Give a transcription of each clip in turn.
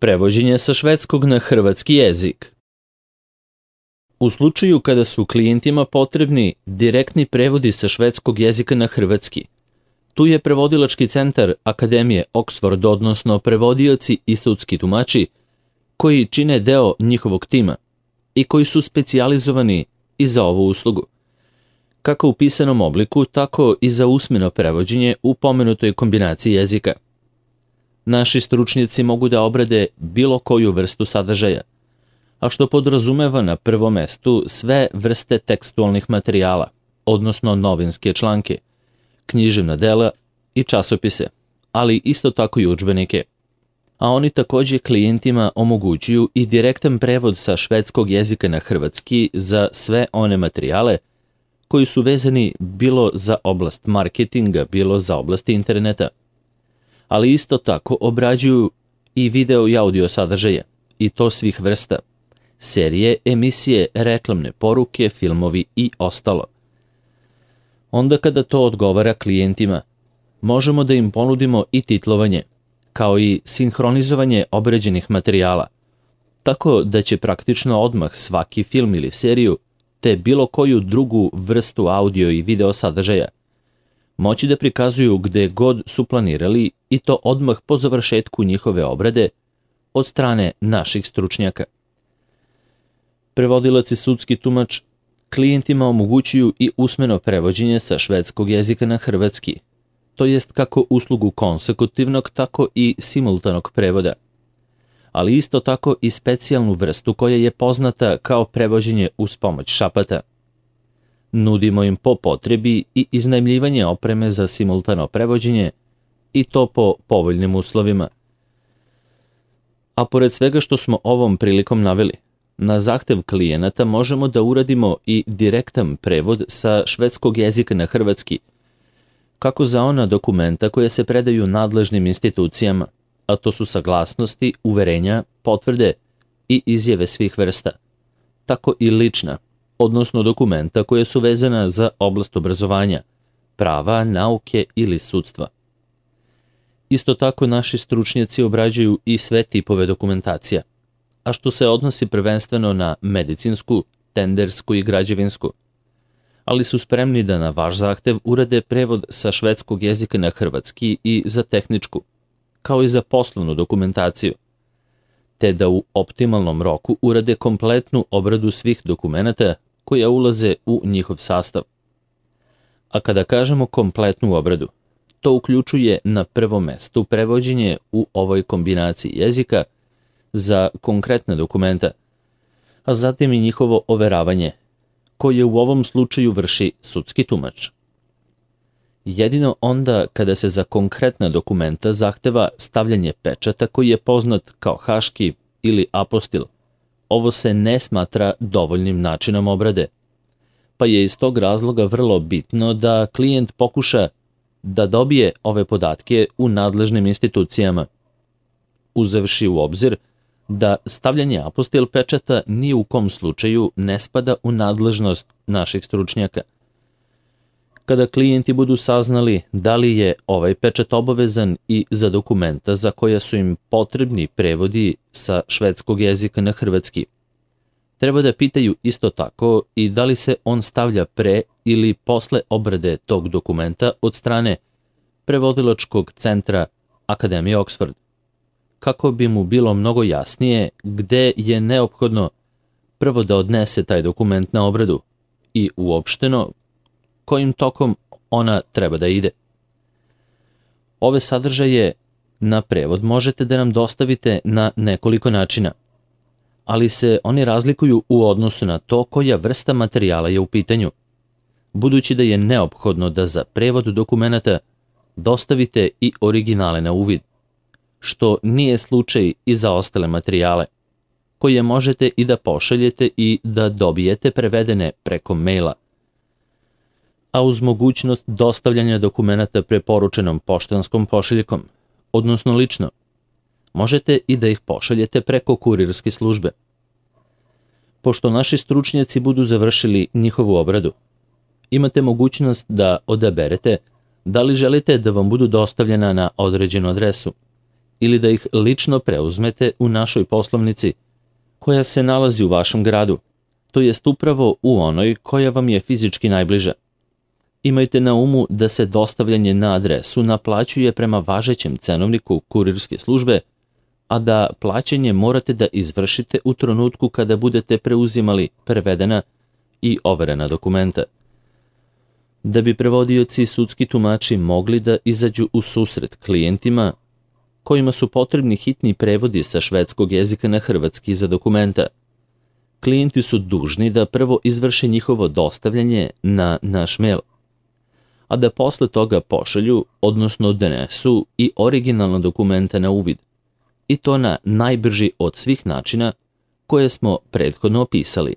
Prevođenje sa švedskog na hrvatski jezik. U slučaju kada su klijentima potrebni direktni prevodi sa švedskog jezika na hrvatski, tu je prevodilački centar Akademije Oxford, odnosno prevodioci i sudski tumači, koji čine deo njihovog tima i koji su specijalizovani i za ovu uslugu, kako u pisanom obliku, tako i za usmeno prevođenje u pomenutoj kombinaciji jezika. Naši stručnjaci mogu da obrade bilo koju vrstu sadržaja, a što podrazumeva na prvom mestu sve vrste tekstualnih materijala, odnosno novinske članke, književna dela i časopise, ali isto tako i udžbenike. A oni takođe klijentima omogućuju i direktan prevod sa švedskog jezika na hrvatski za sve one materijale koji su vezani bilo za oblast marketinga, bilo za oblast interneta. Ali isto tako obrađuju i video i audio sadržaje, i to svih vrsta, serije, emisije, reklamne poruke, filmovi i ostalo. Onda kada to odgovara klijentima, možemo da im ponudimo i titlovanje, kao i sinhronizovanje obrađenih materijala, tako da će praktično odmah svaki film ili seriju, te bilo koju drugu vrstu audio i video sadržaja, moći da prikazuju gde god su planirali, i to odmah po završetku njihove obrade od strane naših stručnjaka. Prevodilac i sudski tumač klijentima omogućuju i usmeno prevođenje sa švedskog jezika na hrvatski, to jest kako uslugu konsekutivnog, tako i simultanog prevoda, ali isto tako i specijalnu vrstu koja je poznata kao prevođenje uz pomoć šapata. Nudimo im po potrebi i iznajmljivanje opreme za simultano prevođenje, i to po povoljnim uslovima. A pored svega što smo ovom prilikom naveli, na zahtev klijenata možemo da uradimo i direktan prevod sa švedskog jezika na hrvatski, kako za ona dokumenta koja se predaju nadležnim institucijama, a to su saglasnosti, uverenja, potvrde i izjave svih vrsta, tako i lična, odnosno dokumenta koje su vezana za oblast obrazovanja, prava, nauke ili sudstva. Isto tako naši stručnjaci obrađuju i sve tipove dokumentacija, a što se odnosi prvenstveno na medicinsku, tendersku i građevinsku, ali su spremni da na vaš zahtev urade prevod sa švedskog jezika na hrvatski i za tehničku, kao i za poslovnu dokumentaciju, te da u optimalnom roku urade kompletnu obradu svih dokumenata koja ulaze u njihov sastav. A kada kažemo kompletnu obradu, to uključuje na prvom mestu prevođenje u ovoj kombinaciji jezika za konkretne dokumenta, a zatim i njihovo overavanje, koje u ovom slučaju vrši sudski tumač. Jedino onda kada se za konkretna dokumenta zahteva stavljanje pečata koji je poznat kao haški ili apostil, ovo se ne smatra dovoljnim načinom obrade, pa je iz tog razloga vrlo bitno da klijent pokuša da dobije ove podatke u nadležnim institucijama, uzevši u obzir da stavljanje apostil pečata ni u kom slučaju ne spada u nadležnost naših stručnjaka. Kada klijenti budu saznali da li je ovaj pečat obavezan i za dokumenta za koja su im potrebni prevodi sa švedskog jezika na hrvatski, treba da pitaju isto tako i da li se on stavlja pre ili posle obrade tog dokumenta od strane prevodilačkog centra Akademije Oxford, kako bi mu bilo mnogo jasnije gde je neophodno prvo da odnese taj dokument na obradu i uopšteno kojim tokom ona treba da ide. Ove sadržaje na prevod možete da nam dostavite na nekoliko načina, ali se oni razlikuju u odnosu na to koja vrsta materijala je u pitanju, budući da je neophodno da za prevod dokumenata dostavite i originale na uvid, što nije slučaj i za ostale materijale, koje možete i da pošaljete i da dobijete prevedene preko maila, a uz mogućnost dostavljanja dokumenata preporučenom poštanskom pošiljkom, odnosno lično, možete i da ih pošaljete preko kurirske službe. Pošto naši stručnjaci budu završili njihovu obradu, imate mogućnost da odaberete da li želite da vam budu dostavljena na određenu adresu ili da ih lično preuzmete u našoj poslovnici, koja se nalazi u vašem gradu, to jest upravo u onoj koja vam je fizički najbliža. Imajte na umu da se dostavljanje na adresu naplaćuje prema važećem cenovniku kurirske službe, a da plaćanje morate da izvršite u trenutku kada budete preuzimali prevedena i overena dokumenta. Da bi prevodioci i sudski tumači mogli da izađu u susret klijentima kojima su potrebni hitni prevodi sa švedskog jezika na hrvatski za dokumenta, klijenti su dužni da prvo izvrše njihovo dostavljanje na naš mail, a da posle toga pošalju, odnosno donesu i originalna dokumenta na uvid, i to na najbrži od svih načina koje smo prethodno opisali.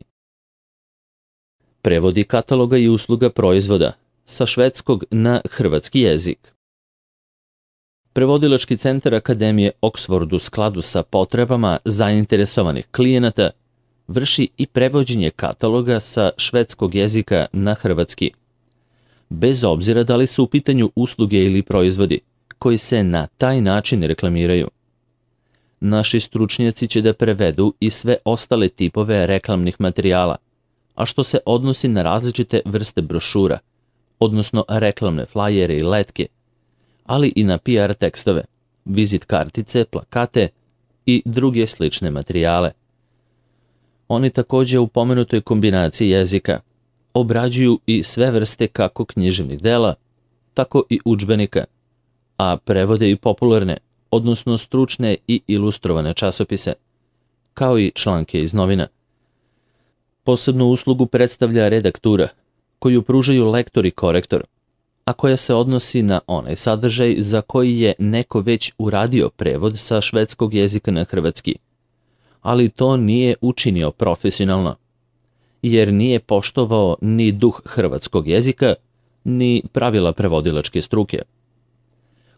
Prevodi kataloga i usluga proizvoda sa švedskog na hrvatski jezik. Prevodilački centar Akademije Oxford u skladu sa potrebama zainteresovanih klijenata vrši i prevođenje kataloga sa švedskog jezika na hrvatski, bez obzira da li su u pitanju usluge ili proizvodi koji se na taj način reklamiraju. Naši stručnjaci će da prevedu i sve ostale tipove reklamnih materijala, a što se odnosi na različite vrste brošura, odnosno reklamne flajere i letke, ali i na PR tekstove, vizit kartice, plakate i druge slične materijale. Oni takođe u pomenutoj kombinaciji jezika obrađuju i sve vrste kako književnih dela, tako i udžbenika, a prevode i popularne, odnosno stručne i ilustrovane časopise, kao i članke iz novina. Posebnu uslugu predstavlja redaktura, koju pružaju lektor i korektor, a koja se odnosi na onaj sadržaj za koji je neko već uradio prevod sa švedskog jezika na hrvatski, ali to nije učinio profesionalno, jer nije poštovao ni duh hrvatskog jezika, ni pravila prevodilačke struke.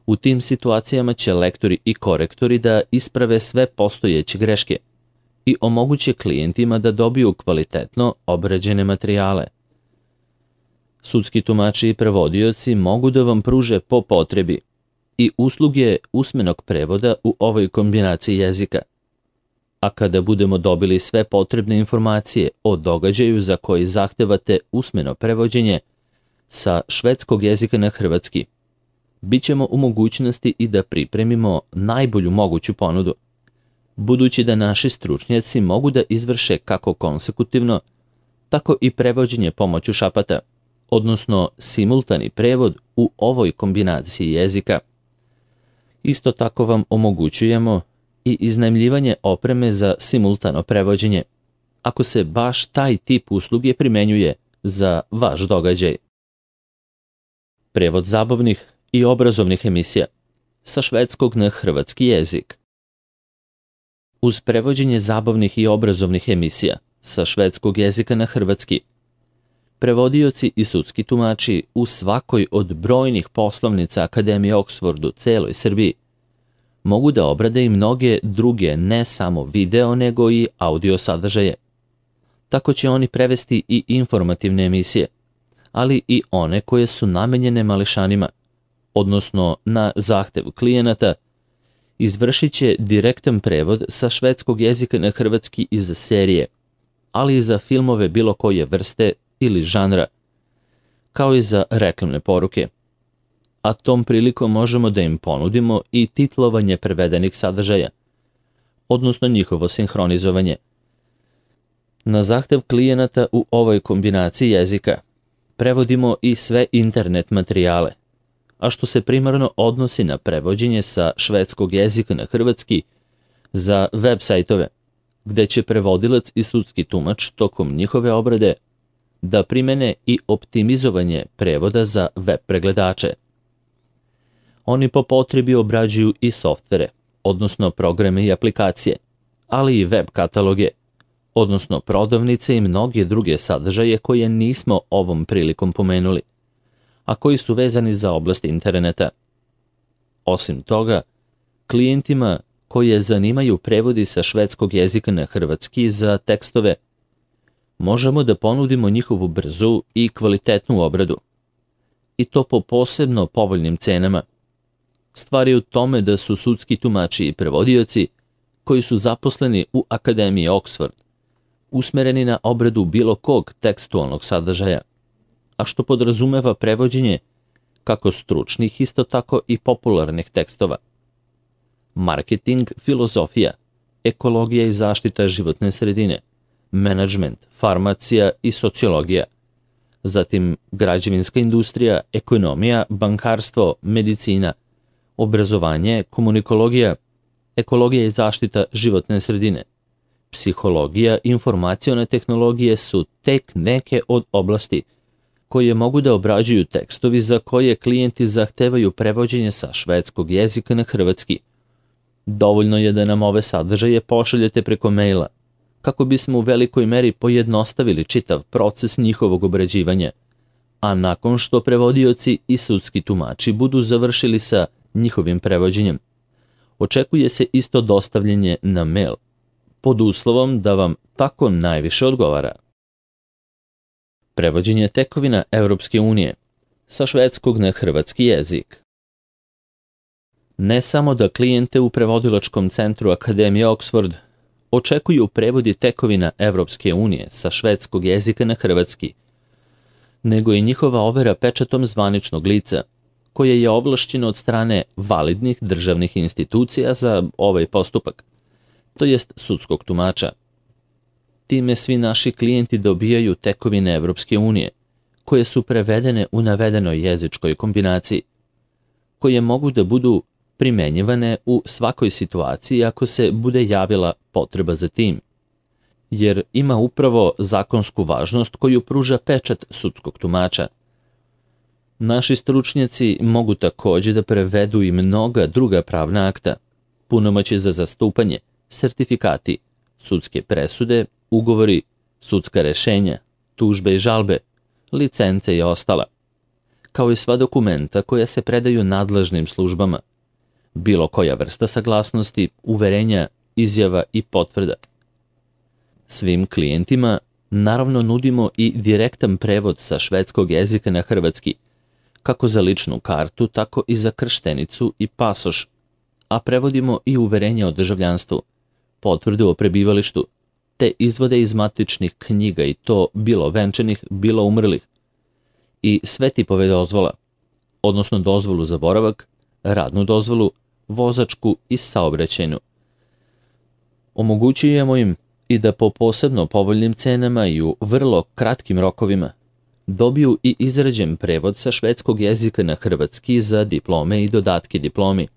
U tim situacijama će lektori i korektori da isprave sve postojeće greške i omoguće klijentima da dobiju kvalitetno obrađene materijale. Sudski tumači i prevodioci mogu da vam pruže po potrebi i usluge usmenog prevoda u ovoj kombinaciji jezika. A kada budemo dobili sve potrebne informacije o događaju za koji zahtevate usmeno prevođenje sa švedskog jezika na hrvatski, bit ćemo u mogućnosti i da pripremimo najbolju moguću ponudu, budući da naši stručnjaci mogu da izvrše kako konsekutivno, tako i prevođenje pomoću šapata, odnosno simultani prevod u ovoj kombinaciji jezika. Isto tako vam omogućujemo i iznajmljivanje opreme za simultano prevođenje, ako se baš taj tip usluge primenjuje za vaš događaj. Prevod zabavnih i obrazovnih emisija sa švedskog na hrvatski jezik. Uz prevođenje zabavnih i obrazovnih emisija sa švedskog jezika na hrvatski, prevodioci i sudski tumači u svakoj od brojnih poslovnica Akademije Oxford u celoj Srbiji mogu da obrade i mnoge druge ne samo video nego i audio sadržaje. Tako će oni prevesti i informativne emisije, ali i one koje su namenjene mališanima, odnosno na zahtev klijenata, izvršit će direktan prevod sa švedskog jezika na hrvatski iz serije, ali i za filmove bilo koje vrste ili žanra, kao i za reklamne poruke. A tom prilikom možemo da im ponudimo i titlovanje prevedenih sadržaja, odnosno njihovo sinhronizovanje. Na zahtev klijenata u ovoj kombinaciji jezika prevodimo i sve internet materijale, a što se primarno odnosi na prevođenje sa švedskog jezika na hrvatski za web sajtove, gde će prevodilac i sudski tumač tokom njihove obrade da primene i optimizovanje prevoda za web pregledače. Oni po potrebi obrađuju i softvere, odnosno programe i aplikacije, ali i web kataloge, odnosno prodavnice i mnoge druge sadržaje koje nismo ovom prilikom pomenuli, a koji su vezani za oblast interneta. Osim toga, klijentima koje zanimaju prevodi sa švedskog jezika na hrvatski za tekstove, možemo da ponudimo njihovu brzu i kvalitetnu obradu, i to po posebno povoljnim cenama. Stvar je u tome da su sudski tumači i prevodioci, koji su zaposleni u Akademiji Oxford, usmereni na obradu bilo kog tekstualnog sadržaja, a što podrazumeva prevođenje kako stručnih, isto tako i popularnih tekstova. Marketing, filozofija, ekologija i zaštita životne sredine, menadžment, farmacija i sociologija, zatim građevinska industrija, ekonomija, bankarstvo, medicina, obrazovanje, komunikologija, ekologija i zaštita životne sredine, psihologija, informacione tehnologije su tek neke od oblasti koje mogu da obrađuju tekstovi za koje klijenti zahtevaju prevođenje sa švedskog jezika na hrvatski. Dovoljno je da nam ove sadržaje pošaljete preko maila, kako bismo u velikoj meri pojednostavili čitav proces njihovog obrađivanja, a nakon što prevodioci i sudski tumači budu završili sa njihovim prevođenjem, očekuje se isto dostavljanje na mail, pod uslovom da vam tako najviše odgovara. Prevođenje tekovina Europske unije sa švedskog na hrvatski jezik. Ne samo da klijente u prevodilačkom centru Akademije Oxford očekuju prevodi tekovina Europske unije sa švedskog jezika na hrvatski, nego i njihova overa pečatom zvaničnog lica, koje je ovlašćeno od strane validnih državnih institucija za ovaj postupak, to jest sudskog tumača. Time svi naši klijenti dobijaju tekovine Evropske unije, koje su prevedene u navedenoj jezičkoj kombinaciji, koje mogu da budu primenjivane u svakoj situaciji ako se bude javila potreba za tim, jer ima upravo zakonsku važnost koju pruža pečat sudskog tumača. Naši stručnjaci mogu takođe da prevedu i mnoga druga pravna akta, punomoći za zastupanje, sertifikati, sudske presude, ugovori, sudska rešenja, tužbe i žalbe, licence i ostala, kao i sva dokumenta koja se predaju nadležnim službama, bilo koja vrsta saglasnosti, uverenja, izjava i potvrda. Svim klijentima naravno nudimo i direktan prevod sa švedskog jezika na hrvatski, kako za ličnu kartu, tako i za krštenicu i pasoš, a prevodimo i uverenja o državljanstvu, potvrdu o prebivalištu, te izvode iz matičnih knjiga i to bilo venčanih, bilo umrlih, i sve tipove dozvola, odnosno dozvolu za boravak, radnu dozvolu, vozačku i saobraćajnu. Omogućujemo im i da po posebno povoljnim cenama i u vrlo kratkim rokovima dobiju i izrađen prevod sa švedskog jezika na hrvatski za diplome i dodatke diplomi,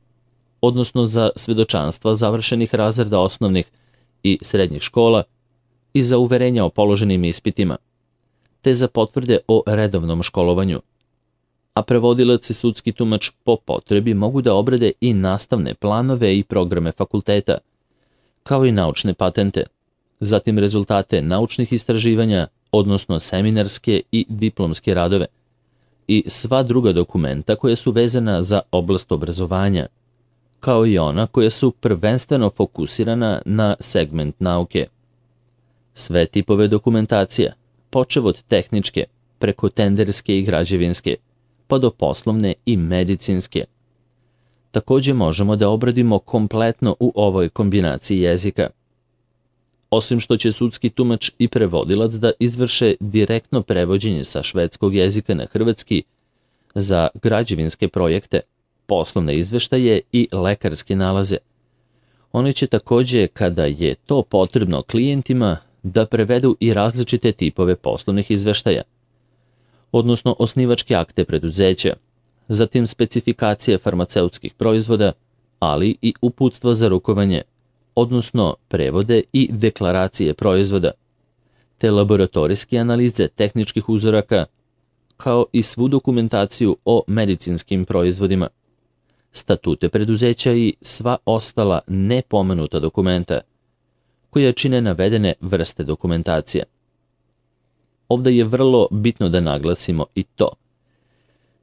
odnosno za svedočanstva završenih razreda osnovnih i srednjih škola i za uverenja o položenim ispitima, te za potvrde o redovnom školovanju. A prevodilac i sudski tumač po potrebi mogu da obrade i nastavne planove i programe fakulteta, kao i naučne patente, zatim rezultate naučnih istraživanja, odnosno seminarske i diplomske radove, i sva druga dokumenta koja su vezana za oblast obrazovanja, kao i ona koja su prvenstveno fokusirana na segment nauke. Sve tipove dokumentacija, počev od tehničke, preko tenderske i građevinske, pa do poslovne i medicinske. Takođe možemo da obradimo kompletno u ovoj kombinaciji jezika. Osim što će sudski tumač i prevodilac da izvrše direktno prevođenje sa švedskog jezika na hrvatski za građevinske projekte, poslovne izveštaje i lekarske nalaze, oni će takođe, kada je to potrebno klijentima, da prevedu i različite tipove poslovnih izveštaja, odnosno osnivačke akte preduzeća, zatim specifikacije farmaceutskih proizvoda, ali i uputstva za rukovanje, odnosno prevode i deklaracije proizvoda, te laboratorijske analize tehničkih uzoraka, kao i svu dokumentaciju o medicinskim proizvodima, statute preduzeća i sva ostala nepomenuta dokumenta, koja čine navedene vrste dokumentacija. Ovde je vrlo bitno da naglasimo i to,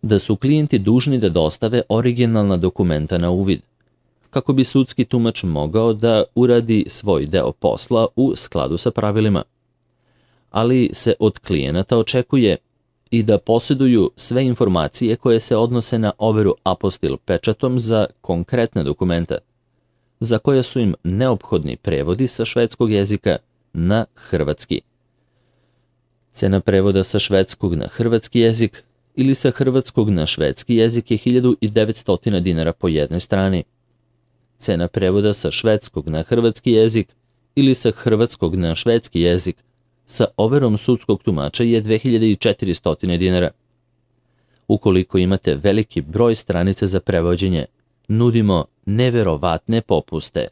da su klijenti dužni da dostave originalna dokumenta na uvid, kako bi sudski tumač mogao da uradi svoj deo posla u skladu sa pravilima. Ali se od klijenata očekuje i da posjeduju sve informacije koje se odnose na overu apostil pečatom za konkretna dokumenta, za koja su im neophodni prevodi sa švedskog jezika na hrvatski. Cena prevoda sa švedskog na hrvatski jezik ili sa hrvatskog na švedski jezik je 1900 dinara po jednoj strani. Cena prevoda sa švedskog na hrvatski jezik ili sa hrvatskog na švedski jezik sa overom sudskog tumača je 2400 dinara. Ukoliko imate veliki broj stranica za prevođenje, nudimo neverovatne popuste.